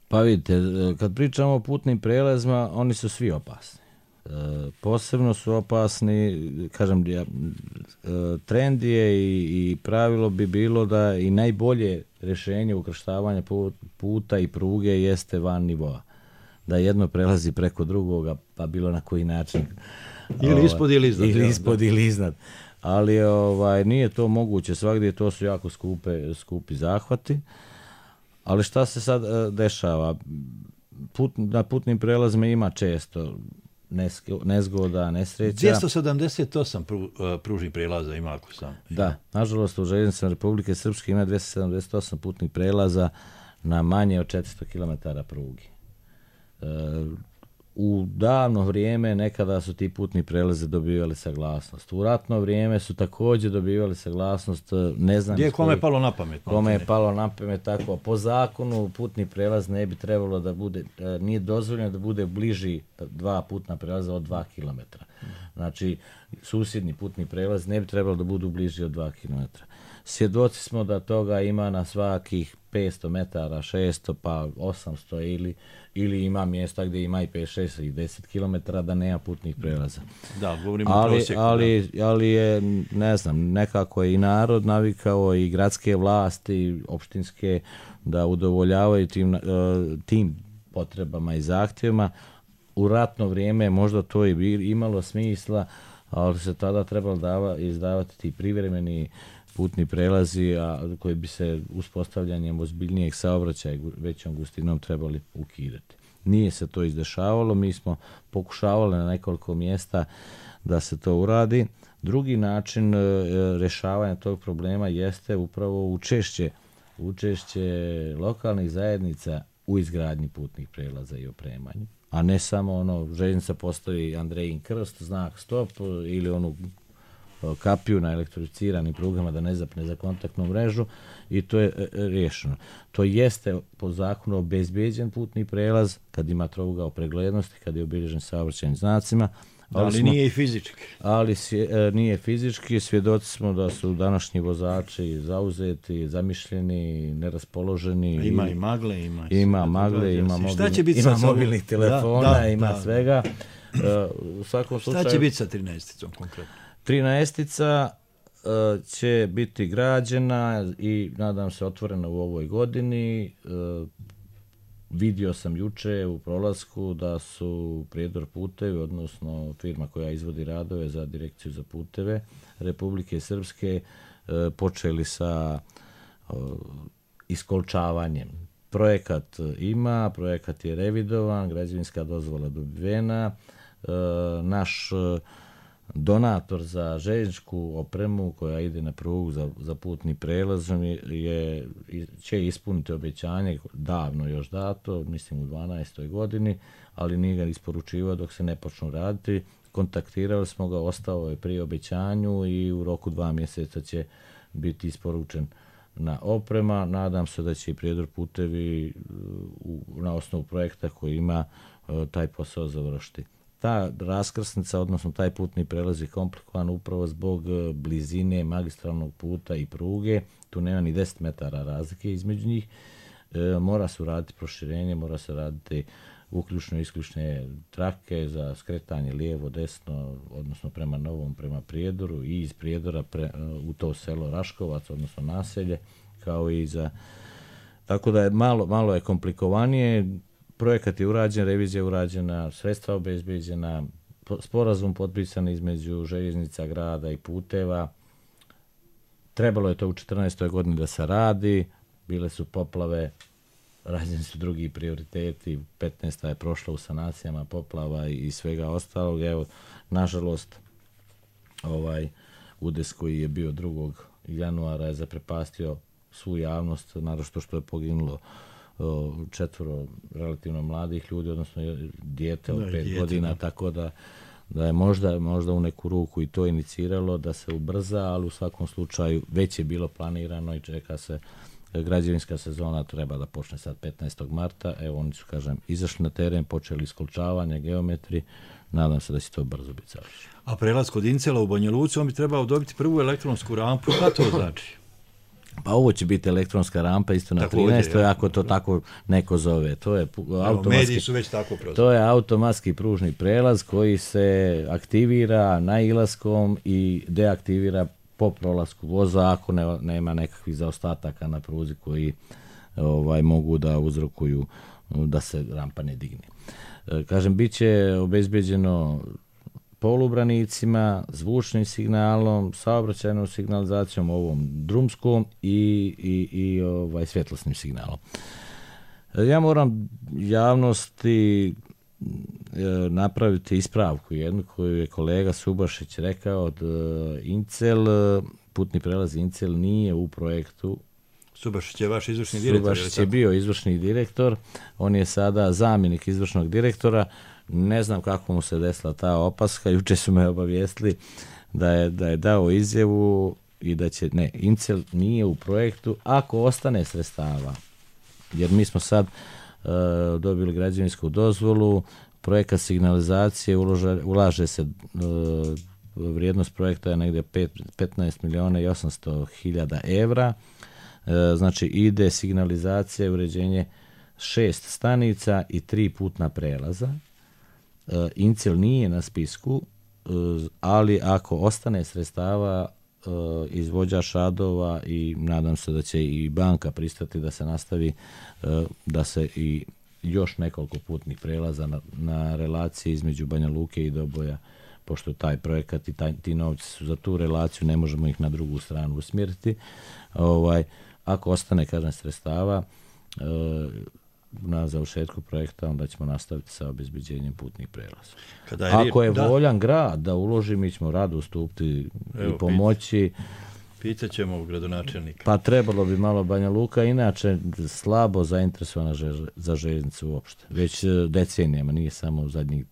Pa vidite, kad pričamo o putnim prelazima, oni su svi opasni. Posebno su opasni, kažem, trend je i pravilo bi bilo da i najbolje rješenje ukrštavanja puta i pruge jeste van nivoa. Da jedno prelazi preko drugoga, pa bilo na koji način. Ili ispod ili iznad. Ili ispod ili iznad. Ali nije to moguće svagdje, to su jako skupi zahvati. Ali šta se sad dešava? Na putnim prelazima ima često nezgoda, nesreća. 278 pružnih prelaza ima, ako sam. Da, nažalost u željeznicama Republike Srpske ima 278 putnih prelaza na manje od 400 km prugi. U davno vrijeme nekada su ti putni prelaze dobivali saglasnost. U ratno vrijeme su također dobivali saglasnost, ne znam... Gdje je kome palo na pamet? Kome je palo na pamet, tako. Po zakonu putni prelaz ne bi trebalo da bude, nije dozvoljeno da bude bliži dva putna prelaza od 2 km. Znači, susjedni putni prelaz ne bi trebalo da budu bliži od 2 km. svjedoci smo da toga ima na svakih 500 metara, 600 pa 800 ili ima mjesta gdje ima i 5, 6 i 10 km da nema putnih prelaza. Da, govorimo o prosjeku. Ali je, ne znam, nekako je i narod navikao i gradske vlasti, opštinske, da udovoljavaju tim potrebama i zahtjevima. U ratno vrijeme možda to i imalo smisla, ali se tada trebalo izdavati ti privremeni putni prelazi, a koji bi se uspostavljanjem ozbiljnijeg saobraćaja većom gustinom trebali ukidati. Nije se to izdešavalo, mi smo pokušavali na nekoliko mjesta da se to uradi. Drugi način rješavanja tog problema jeste upravo učešće lokalnih zajednica u izgradnji putnih prelaza i opremanju. A ne samo željeznica postoji Andrejin krst, znak stop ili onu kapiju na elektrificiranim prugama da ne zapne za kontaktnu mrežu i to je riješeno. To jeste po zakonu obezbeđen putni prelaz kad ima trougao preglednosti, kad je obilježen saobraćajnim znacima. Ali nije i fizički. Ali nije fizički. Svjedoci smo da su današnji vozači zauzeti, zamišljeni, neraspoloženi. Ima i magle, ima mobilnih telefona, ima svega. U svakom slučaju, šta će biti sa 13-icom konkretno? 13-ica će biti građena i nadam se otvorena u ovoj godini. Vidio sam juče u prolasku da su Prijedor putevi, odnosno firma koja izvodi radove za Direkciju za puteve Republike Srpske, počeli sa iskolčavanjem. Projekat je revidovan, građevinska dozvola dobivena. Naš donator za željezničku opremu koja ide na prugu za putni prelaz će ispuniti obećanje davno još dato, mislim u 12. godini, ali nije ga isporučivao dok se ne počnu raditi. Kontaktirali smo ga, ostao je pri obećanju i u roku 2 mjeseca će biti isporučen na oprema. Nadam se da će i Prijedor putevi na osnovu projekta koji ima taj posao završiti. Ta raskrsnica, odnosno taj putni prelaz je komplikovan upravo zbog blizine magistralnog puta i pruge. Tu nema ni 10 metara razlike između njih. Mora se raditi proširenje, mora se raditi uključno-isključne trake za skretanje lijevo, desno, odnosno prema Novom, prema Prijedoru i iz Prijedora u to selo Raškovac, odnosno naselje, kao i za... Tako da je malo je komplikovanije. Projekat je urađen, revizija je urađena, sredstva obezbeđena, sporazum potpisan između željeznica, grada i puteva. Trebalo je to u 14. godini da se radi, bile su poplave, rađeni su drugi prioriteti, 15. je prošla u sanacijama poplava i svega ostalog. Evo, nažalost, udes koji je bio 2. januara je zaprepastio svu javnost, naročito što je poginulo 4 relativno mladih ljudi, odnosno dijete od 5 godina, tako da je možda u neku ruku i to iniciralo da se ubrza, ali u svakom slučaju već je bilo planirano i čeka se građevinska sezona, treba da počne sad 15. marta. Evo, oni su, izašli na teren, počeli iskolčavanje, geometri, nadam se da će to brzo biti završeno. A prelaz kod Incela u Banja Luci, on bi trebao dobiti prvu elektronsku rampu, šta to znači? Pa ovo će biti elektronska rampa isto na 13. ako to tako neko zove. Mediji su već tako prozvali. To je automatski pružni prelaz koji se aktivira nailaskom i deaktivira po prolasku voza ako nema nekakvih zaostataka na pruzi koji mogu da uzrokuju da se rampa ne digne. Bit će obezbeđeno polubranicima, zvučnim signalom, saobraćajnom signalizacijom, ovom drumskom i svjetlosnim signalom. Ja moram javnosti napraviti ispravku jednu koju je kolega Subašić rekao od Incel, putni prelaz Incel nije u projektu. Subašić je vaš izvršni direktor? Subašić je bio izvršni direktor, on je sada zamjenik izvršnog direktora. Ne znam kako mu se desila ta opaska, juče su me obavijestili da je dao izjavu i da će, Incel nije u projektu ako ostane sredstava. Jer mi smo sad dobili građevinsku dozvolu, projekat signalizacije, ulaže se vrijednost projekta je negdje 15 milijuna i 800 hiljada evra. Znači ide signalizacija i uređenje 6 stanica i 3 putna prelaza. Incel nije na spisku, ali ako ostane sredstava, izvođač radova i nadam se da će i banka pristati da se nastavi, da se i još nekoliko putnih prelaza na relaciji između Banja Luke i Doboja, pošto taj projekat i ti novci su za tu relaciju, ne možemo ih na drugu stranu usmjeriti. Ako ostane, kažem, sredstava na završetku projekta, onda ćemo nastaviti sa obezbeđenjem putnih prelaza. Ako je voljan grad da uloži, mi ćemo rado ustupiti i pomoći. Pitaćemo u gradonačelnika. Pa trebalo bi malo. Banja Luka inače slabo zainteresovana za željeznicu uopšte. Već decenijama, nije samo u zadnjih.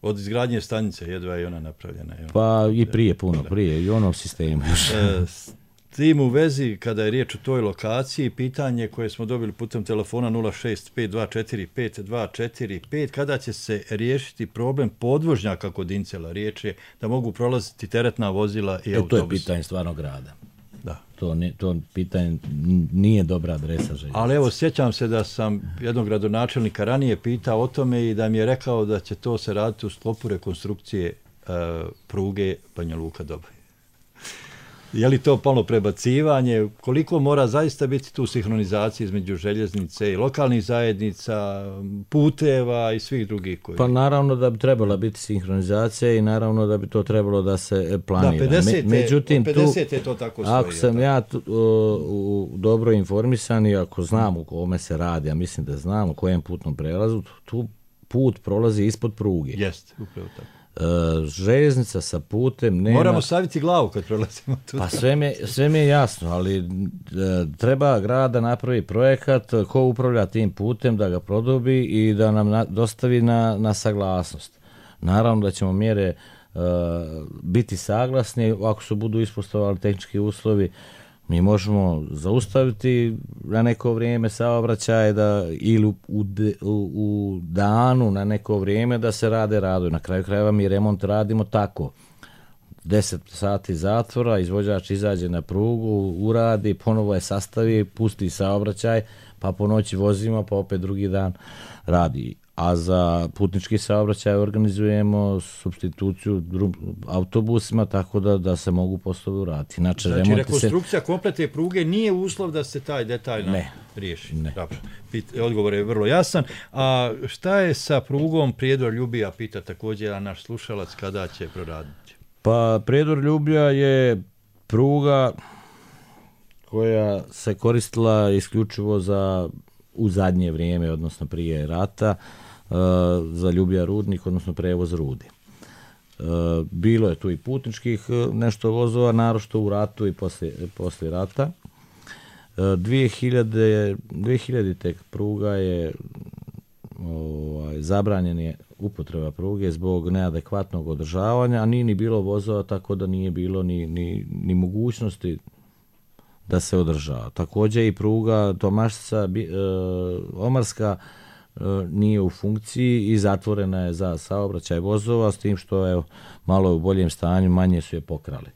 Od izgradnje stanice jedva je ona napravljena. Pa i prije, puno prije, i onom sistemu još. Tim u vezi, kada je riječ o toj lokaciji, pitanje koje smo dobili putem telefona 065245245, kada će se riješiti problem podvožnjaka kod Incela? Riječ je da mogu prolaziti teretna vozila i autobus. To je pitanje stvarno grada. Da. To pitanje nije dobra adresa željeznice. Ali evo, sjećam se da sam jednog gradonačelnika ranije pitao o tome i da mi je rekao da će to se raditi u sklopu rekonstrukcije pruge Banja Luka-Doboj. Je li to malo prebacivanje? Koliko mora zaista biti tu sinhronizacije između željeznice i lokalnih zajednica, puteva i svih drugih koji... Pa naravno da bi trebala biti sinhronizacija i naravno da bi to trebalo da se planira. Da, 50 je to tako stoji. Ako sam ja dobro informisan i ako znam o kome se radi, a mislim da znam o kojem putnom prelazu, tu put prolazi ispod pruge. Jeste, upravo tako. Željeznica sa putem nema... Moramo staviti glavu kad prelazimo tu. Pa sve mi je jasno, ali treba grad da napravi projekat, ko upravlja tim putem, da ga produbi i da nam dostavi na saglasnost. Naravno da ćemo mjere biti saglasni, ako se budu ispoštovali tehnički uslovi, mi možemo zaustaviti na neko vrijeme saobraćaj ili u danu na neko vrijeme da se rade radovi. Na kraju krajeva mi remont radimo tako. 10 sati zatvora, izvođač izađe na prugu, uradi, ponovo je sastavi, pusti saobraćaj, pa po noći vozimo, pa opet drugi dan radi. A za putnički saobraćaj organizujemo supstituciju autobusima tako da se mogu poslovi uraditi. Znači rekonstrukcija kompletne pruge nije uslov da se taj detaljno riješi. Ne. Odgovor je vrlo jasan. A šta je sa prugom Prijedor-Ljubija, pita također naš slušalac, kada će proraditi? Pa Prijedor-Ljubija je pruga koja se koristila isključivo u zadnje vrijeme, odnosno prije rata, za Ljubija Rudnik, odnosno prevoz rudi. Bilo je tu i putničkih nešto vozova, naročito u ratu i poslije rata. 2000. pruga je zabranjen je upotreba pruge zbog neadekvatnog održavanja, a nije ni bilo vozova, tako da nije bilo ni mogućnosti da se održava. Također i pruga Tomašca Omarska nije u funkciji i zatvorena je za saobraćaj vozova, s tim što je malo u boljem stanju, manje su je pokrali.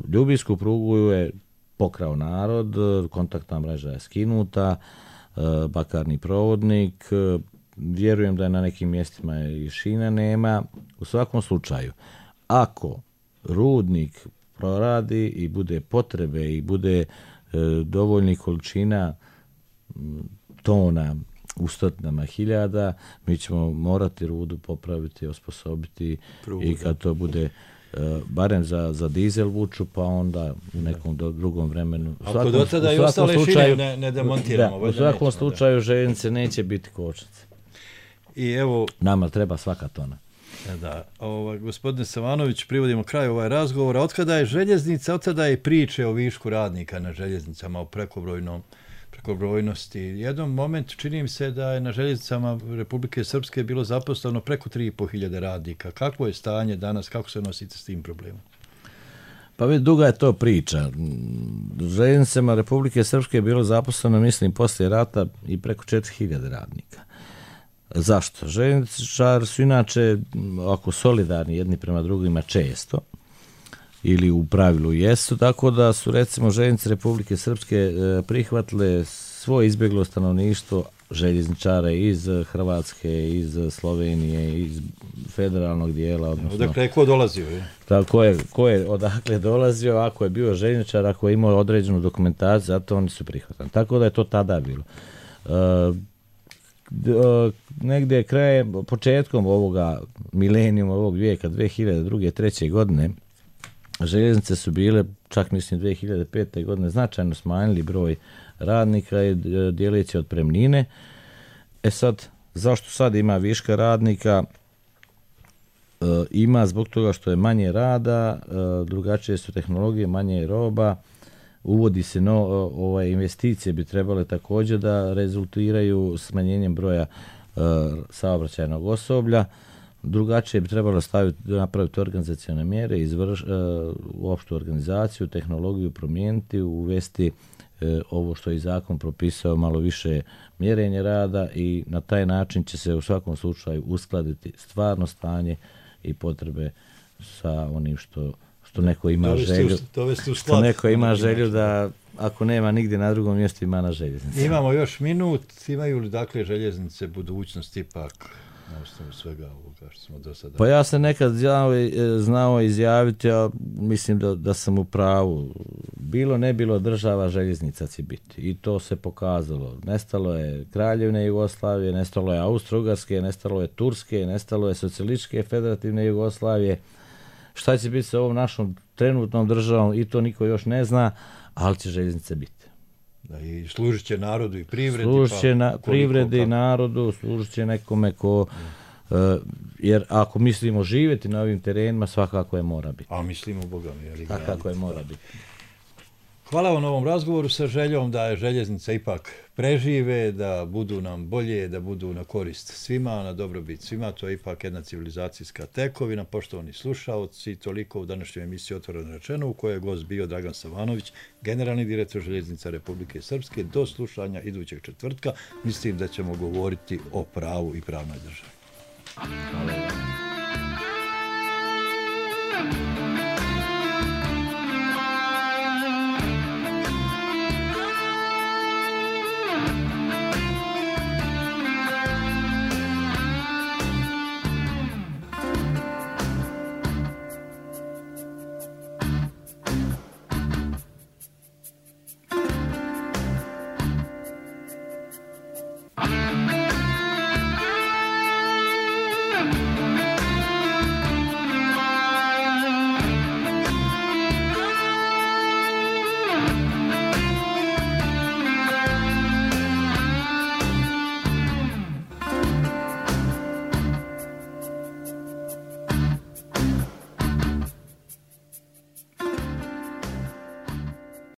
Ljubijsku prugu je pokrao narod, kontaktna mreža je skinuta, bakarni provodnik, vjerujem da je na nekim mjestima i šina nema. U svakom slučaju, ako rudnik proradi i bude potrebe i bude dovoljnih količina tona u stotinama hiljada, mi ćemo morati rudu popraviti, osposobiti i kad to bude barem za dizel vuču, pa onda u nekom drugom vremenu. Ako do tada i ostale šine ne demontiramo. U svakom slučaju željeznice neće biti kočnice. I evo, nama treba svaka tona. Da, gospodine Savanović, privodimo kraju ovaj razgovor. Otkada je željeznica, otkada je priče o višku radnika na željeznicama, o prekobrojnosti. Jednom momentu čini mi se da je na željeznicama Republike Srpske bilo zaposleno preko 3.500 radnika. Kakvo je stanje danas, kako se nosite s tim problemom? Pa već duga je to priča. Željeznicama Republike Srpske je bilo zaposleno, mislim, poslije rata i preko 4.000 radnika. Zašto? Željezničari su inače ako solidarni jedni prema drugima često, ili u pravilu jesu, tako da su recimo željeznice Republike Srpske prihvatile svoje izbjeglo stanovništvo željezničara iz Hrvatske, iz Slovenije, iz federalnog dijela. Odnosno, odakle je ko dolazio? Je? Ko je odakle dolazio, ako je bio željezničar, ako je imao određenu dokumentaciju, zato oni su prihvatani. Tako da je to tada bilo. Negdje početkom ovoga milenijuma, ovog vijeka, 2002. 2003. godine, željeznice su bile, čak mislim 2005. godine, značajno smanjili broj radnika i dijeleći otpremnine. Sad, zašto sad ima viška radnika? Ima zbog toga što je manje rada, drugačije su tehnologije, manje je roba, uvodi se investicije bi trebale također da rezultiraju smanjenjem broja saobraćajnog osoblja. Drugačije bi trebalo napraviti organizacione mjere, u opštu organizaciju, tehnologiju promijeniti, uvesti ovo što je zakon propisao, malo više mjerenje rada i na taj način će se u svakom slučaju uskladiti stvarno stanje i potrebe sa onim što neko ima želju. Što neko ima želju da ako nema nigdje na drugom mjestu ima na željeznici. Imamo još minut. Imaju li dakle željeznice budućnost ipak na osnovu svega ovoga što smo do sada? Pa ja sam nekad znao izjaviti, a mislim da sam u pravu. Bilo ne bilo država željeznica će biti. I to se pokazalo. Nestalo je Kraljevine Jugoslavije, nestalo je Austro-Ugarske, nestalo je Turske, nestalo je Socijalističke federativne Jugoslavije. Šta će biti sa ovom našom trenutnom državom i to niko još ne zna, ali će željeznice biti. Da, i služit će narodu i privredi. Služit će privredi i narodu, služit će nekome ko... jer ako mislimo živjeti na ovim terenima, svakako je mora biti. A mislimo, Boga mi, svakako je mora biti. Hvala vam na ovom razgovoru sa željom da je željeznica ipak prežive, da budu nam bolje, da budu na korist svima, na dobrobit svima. To je ipak jedna civilizacijska tekovina. Poštovani slušaoci, toliko u današnjoj emisiji Otvoreno rečeno, u kojoj je gost bio Dragan Savanović, generalni direktor Željeznica Republike Srpske. Do slušanja idućeg četvrtka. Mislim da ćemo govoriti o pravu i pravnoj državi. Hvala.